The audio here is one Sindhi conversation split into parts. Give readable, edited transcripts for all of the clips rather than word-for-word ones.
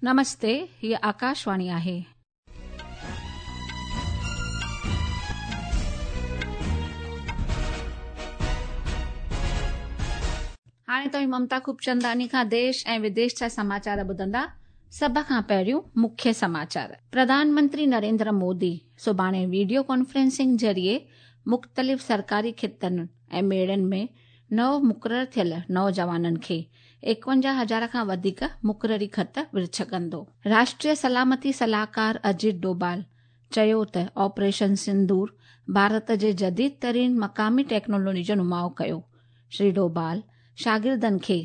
نمستي، هيء آڪاشواڻي آهي. هاڻي توهين ممتا خوبچنداڻي کان ديش ۽ وديش جا سماچار ٻڌندا. سڀ کان پهريون مکيه سماچار. پرڌان منتري نريندر مودي سڀاڻي وڊيو ڪانفرنسنگ ذريعي مختلف سرڪاري کاتن ۽ ميڙن ۾ نئون مقرر ٿيل نوجوانن کي 51 هزار کان وڌيڪ مقرري خط ورڇ ڪندو. راشٽريه سلامتي صلاحڪار اجيت ڊوڀال چيو ته آپريشن سندور ڀارت جي جديد ترين مقامي ٽيڪنالاجي جو نماء ڪيو. شري ڊوڀال شاگردن کي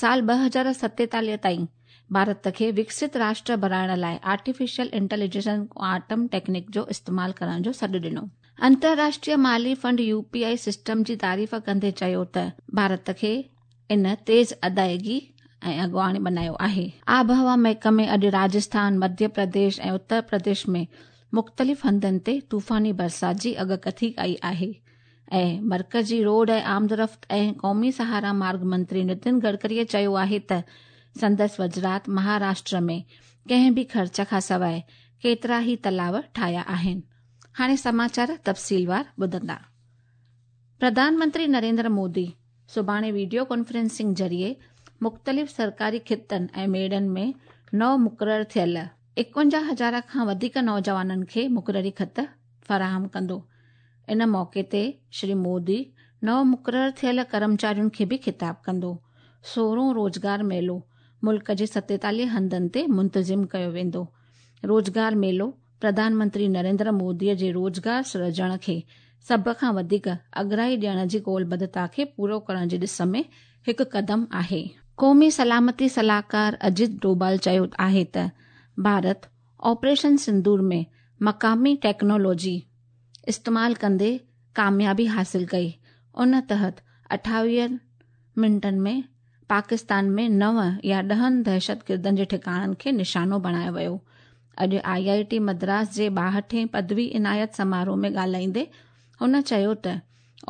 سال 2047 تائين ڀارت کي وڪست راشٽر بڻائڻ لاء آرٽيفيشل انٽيليجنس ڪوانٽم ٽيڪنڪ جو استعمال ڪرڻ جو سڏ ڏنو. انترراشٽريه مالي fund U P I system جي تعريف ڪندي چيو ته ڀارت کي ان تيز ادائيگي ۽ اڳواڻ بنايو آهي. آبهوا محڪمي اڄ راجسٿان، مڌيه پرديش ۽ اتر پرديش ۾ مختلف هنڌن تي طوفاني برسات جي اڳڪٿي ڪئي آهي ۽ مرڪزي روڊ ۽ آمدرفت ۽ قومي سهارا مارگ منتري نتن گڊڪري چيو آهي ته سندس وزارت مهاراشٽر ۾ ڪنهن به خرچ کانسواء ڪيترا ئي تلاء ٺاهيا آهن. هاڻي سماچار تفصيلوار ٻڌندا. پرڌان منتري نريندر مودي سڀاڻي وڊيو ڪانفرنسنگ ذريعي مختلف سرڪاري کاتن ۽ ميڙن ۾ نئون مقرر ٿيل 51 هزار کان وڌيڪ نوجوانن کي مقرري خط فراهم ڪندو. ان موقعي تي شري مودي نئون مقرر ٿيل ڪرمچارين کي به خطاب ڪندو. سورهون روزگار ميلو ملڪ جي 47 هنڌن تي منتظم ڪيو ويندو. روزگار ميلو پرڌان منتري نريندر مودي جي روزگار سرجڻ کي سڀ کان وڌيڪ اڳرائي ڏيڻ جي قولبڌتا کي پورو ڪرڻ جي ڏس ۾ هڪ قدم آهي. قومي سلامتي صلاحڪار اجيت ڊوڀال چيو آهي ته ڀارت آپريشن سندور ۾ مقامي ٽيڪنالاجي استعمال ڪندي ڪاميابي حاصل ڪئي، ان تحت 28 منٽن ۾ پاڪستان ۾ نو يا ڏهن دهشتگردن جي ٺڪاڻن کي نشانو بڻايو ويو. اڄ آء آء ٽي مدراس جي ٻاهٺين پدوي عنايت سماروهه ۾ ڳالهائيندي هن چيو ته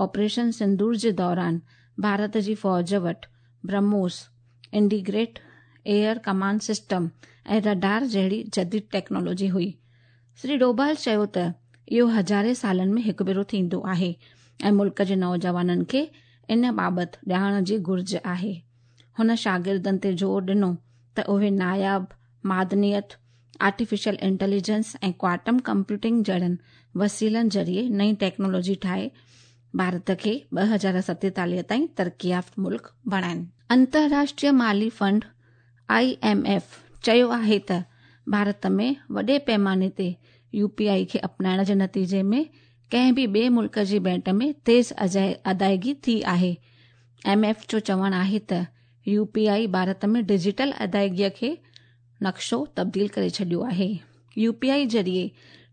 آپريشن سندور جي دوران ڀارت جي فوج وٽ BrahMos, integrated air command system ۽ radar جهڙي جديد ٽيڪنالاجي هئي. شري ڊوڀال چيو ته اهو هزارين سالن ۾ هڪ ڀيرو ٿيندو آهي ۽ ملڪ جي نوجوانن کي ان بابت ڄاڻ جي گهرج آهي. هن شاگردن تي زور ڏنو ته اهي ناياب معدنيات، آرٽيفيشل انٽيليجنس ۽ ڪوانٽم ڪمپيوٽنگ جهڙن وسيلن ذريعي نئين ٽيڪنالاجي ٺاهي ڀارت کي 2047 تائين ترقي يافته ملڪ بڻائين. انترراشٽريه مالي فنڊ، I M F, چيو آهي ته ڀارت ۾ وڏي پيماني تي يو پي آء کي اپنائڻ جي نتيجي ۾ ڪنهن به ٻئي ملڪ جي ڀيٽ ۾ تيز ادائيگي ٿي آهي. ايم ايف جو چوڻ آهي ته يو پي آء ڀارت ۾ ڊجيٽل ادائيگي کي نقشو تبديل ڪري ڇڏيو آهي. يو پي آء ذريعي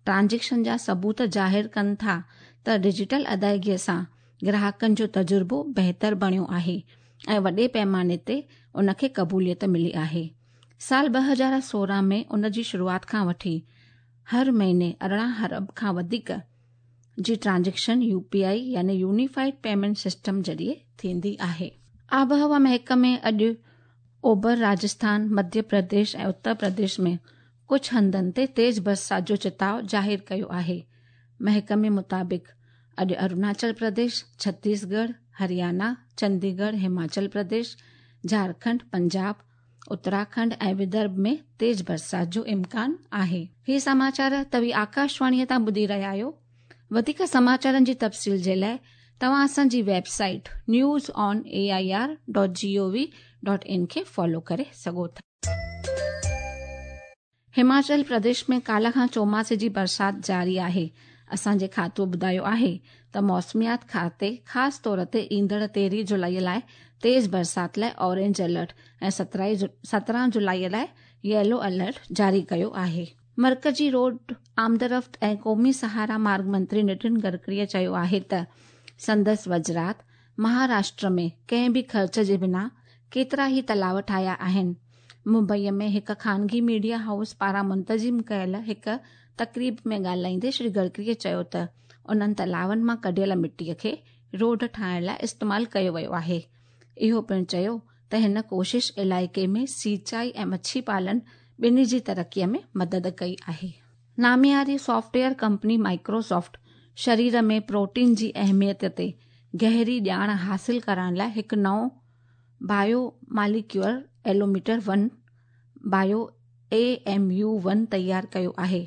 ٽرانزيڪشن جا ثبوت ظاهر ڪن ٿا ته ڊجيٽل ادائيگي سان گراهڪن جو تجربو بهتر بڻيو آهي ۽ وڏي پيماني تي ان کي قبوليت ملي آهي. سال 2016 ۾ ان جي شروعات کان وٺي هر مهيني 18 ارب کان وڌيڪ جي ٽرانزيڪشن يو پي آء يعني يونيفائيڊ پيمينٽ سسٽم ذريعي ٿيندي آهي. آبهوا محڪمي اڄ اوڀر راجسٿان، مڌيه پرديش ۽ اتر پرديش ۾ ڪجهه هنڌن تي تيز برسات جو چتاء ظاهر ڪيو آهي. محڪمي مطابق اڄ اروناچل پرديش، ڇتيسڳڙهه، هريانا، چنديڳڙهه، هماچل پرديش، جهارکنڊ، پنجاب، اتراکنڊ ۽ ودرڀ ۾ تيز برسات جو امڪان آهي. هي سماچار توهين آڪاشواڻيء تان ٻڌي رهيا آهيو. وڌيڪ سماچارن جي تفصيل جي لاء توهان اسان جي website news on A I R dot G O V dot in کي فالو ڪري سگهو ٿا. هماچل پرديش ۾ ڪالهه کان چوماسي جي برسات جاري آهي. اسان جي کاتو ٻڌايو آهي ته موسميات کاتي خاص طور تي ايندڙ 13 جولائي لاء تيز برسات لاء اورينج الرٽ ۽ 17 جولائي لاء ييلو الرٽ جاري ڪيو آهي. مرڪزي روڊ آمدرفت ۽ قومي سهارا مارگ منتري نتن گڊڪري چيو آهي ته سندس وزارت مهاراشٽر ۾ ڪنهن به خرچ جي بنا ڪيترا ئي تلاء ٺاهيا آهن. ممبئي ۾ هڪ خانگي ميڊيا هائوس پاران منتظم ڪيل هڪ تقريب ۾ ڳالهائيندي شري گڊڪري چيو ته انهن تلاون مان ڪڍيل مٽي کي روڊ ٺاهڻ لاء استعمال ڪيو ويو آهي. اهو پڻ چيو ته هن ڪوشش علائقي ۾ سينچائي ۽ مڇي پالن ٻنهي جي ترقيء ۾ مدد ڪئي آهي. نامياري سافٽ ويئر ڪمپني مائڪروسافٽ شرير ۾ پروٽين جي اهميت تي گهري ڄاڻ حاصل ڪرڻ لاء هڪ نئون bio molecular allometer one, bio A M U one, تيار ڪيو آهي.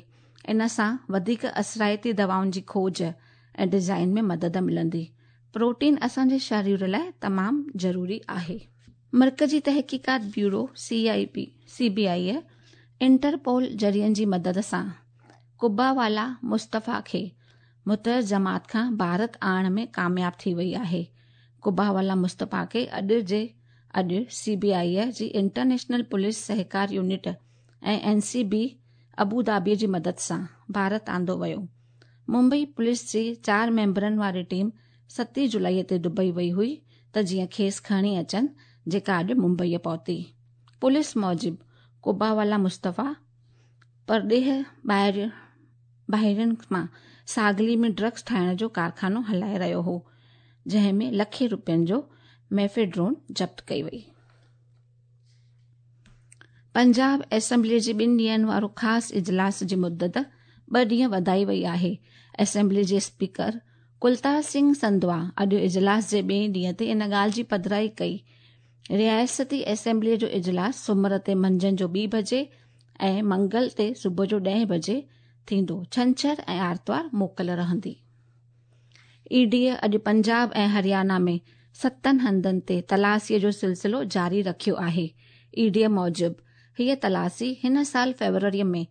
ان سان وڌيڪ اثرائتي دوائن جي کوج ۽ ڊزائن ۾ مدد ملندي. پروٽين اسان جي شرير لاء تمام ضروري آهي. مرڪزي تحقيقات bureau, C I B, C B I, Interpol ذريعن جي مدد سان قبا والا مصطفيٰ کي متحده جماعت کان ڀارت آڻڻ ۾ ڪامياب ٿي وئي آهي. قبا والا مصطفيٰ کي اڄ جي اڄ سي بي آء جي انٽرنيشنل پوليس سهڪار unit ۽ N C B Abu Dhabi جي مدد سان ڀارت آندو ويو. ممبئي پوليس جي چار ميمبرن واري ٽيم ستين جولائي تي دبئي وئي هئي ته جيئن کيس کڻي اچن جيڪا اڄ ممبئي پهتي. پوليس موجب قبا والا مصطفيٰ پرڏيهه ٻاهرين مان ساگلي ۾ ڊرگس ٺاهڻ جو ڪارخانو هلائي رهيو هو جنهن ۾ لکين روپين جو ميفيڊرون ضبط ڪئي وئي. پنجاب اسيمبلي جي ٻن ڏينهن وارو خاص اجلاس جي مدت ٻه ڏينهن وڌائي وئي آهي. اسيمبلي جي اسپيڪر ڪلتار سنگهه سنڌوا اڄ اجلاس جي ٻئي ڏينهن تي ان ڳالهه جي پڌرائي ڪئي. رياستي اسيمبلي جو اجلاس سومر تي منجهند جو ٻي بجي ۽ منگل تي صبح جو ڏهين بجي ٿيندو. ڇنڇر ۽ آرتوار موڪل رهندي. اي ڊي اڄ پنجاب ۽ هريانا ۾ ستن هنڌن تي تلاشيء جو سلسلو جاري رکيو آهي. اي ڊي موجب هيء تلاشي هن سال فيبروري ۾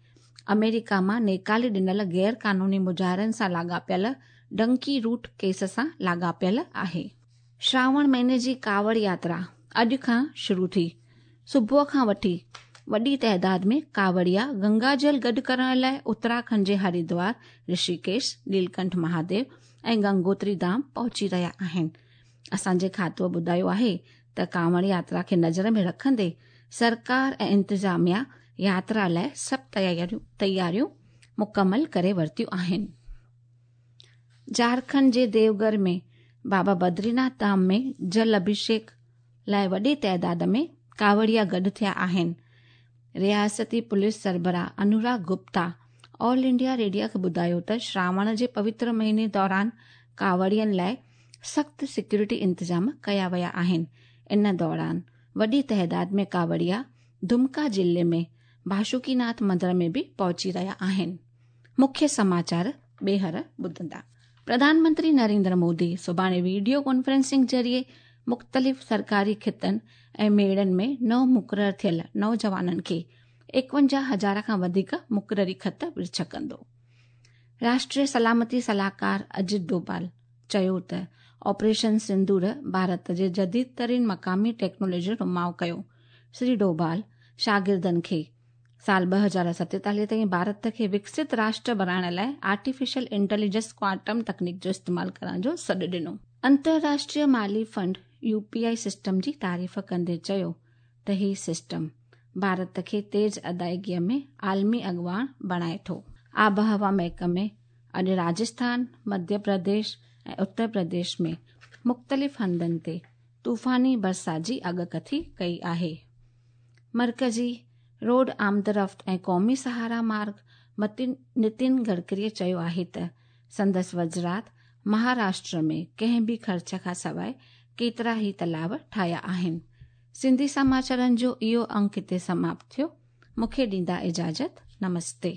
آمريڪا مان نيڪالي ڏنل غير قانوني مظاهرن سان لاڳاپيل ڊنڪي روٽ ڪيس سان لاڳاپيل آهي. شراوڻ مهيني جي ڪاوڙ ياترا اڄ کان شروع ٿي. صبح کان وٺي وڏي تعداد ۾ ڪاوڙيا گنگا جل گڏ ڪرڻ لاء اتراکنڊ جي هردوار، رشيڪيش، نيلڪنٺ مهاديو ۽ گنگوتري ڌام پهچي رهيا آهن. اسان جي کاتوء ٻڌايو آهي ته ڪاوڙ ياترا کي نظر ۾ رکندي سرڪار ۽ انتظاميا ياترا لاء سڀ تياريون مڪمل ڪري ورتيون آهن. جهارکنڊ جي ديوگهر ۾ بابا بدريناٿ ڌام ۾ جل اڀيشيڪ لاء وڏي تعداد ۾ ڪاوڙيا گڏ ٿيا آهن. رياستي پوليس سربراهه انوراگ گپتا آل انڊيا ريڊيو کي ٻڌايو ته شراوڻ جي پوتر مهيني دوران ڪاوڙين لاء سخت سيڪيورٽي انتظام ڪيا ويا آهن. ان دوران وڏي تعداد ۾ ڪاوڙيا دمڪا ضلعي ۾ باشوڪيناٿ مندر ۾ به پهچي رهيا آهن. مکيه سماچار ٻيهر ٻڌندا. پرڌان منتري نريندر مودي سڀاڻي ويڊيو ڪانفرنسنگ ذريعي مختلف سرڪاري کتن ۽ ميڙن ۾ نو مقرر ٿيل نوجوانن کي 51 هزار کان وڌيڪ مقرري خط ورڇ ڪندو. راشٽريه سلامتي صلاحڪار اجيت ڊوڀال چيو ته آپريشن سندور ڀارت جي جديد ترين مقامي ٽيڪنالاجي جو نماء ڪيو. شري ڊوڀال شاگردن کي سال 2047 تائين ڀارت کي وڪست راشٽر بڻائڻ لاء آرٽيفيشل انٽيليجنس ڪوانٽم تڪنيڪ جو استعمال ڪرڻ جو سڏ ڏنو. انترراشٽريه مالي fund U P I system جي تعريف ڪندي چيو ته هي سسٽم ڀارت کي تيز ادائيگي ۾ عالمي اڳواڻ بڻائي ٿو. آبهوا محڪمي اڄ راجسٿان، مڌيه پرديش ۽ اتر پرديش ۾ مختلف هنڌن تي طوفاني برسات جي اڳڪٿي ڪئي آهي. مرڪزي روڊ آمدرفت ۽ قومي سهارا مارگ متي نتين گڊڪري چيو آهي ته سندس وزرات مهاراشٽر ۾ ڪنهن به خرچ کان سواء ڪيترا ئي تلاء ٺاهيا آهن. سنڌي سماچارن جو اهو انڪ هتي سماپت ٿيو. مون کي ڏيندا اجازت. نمستي.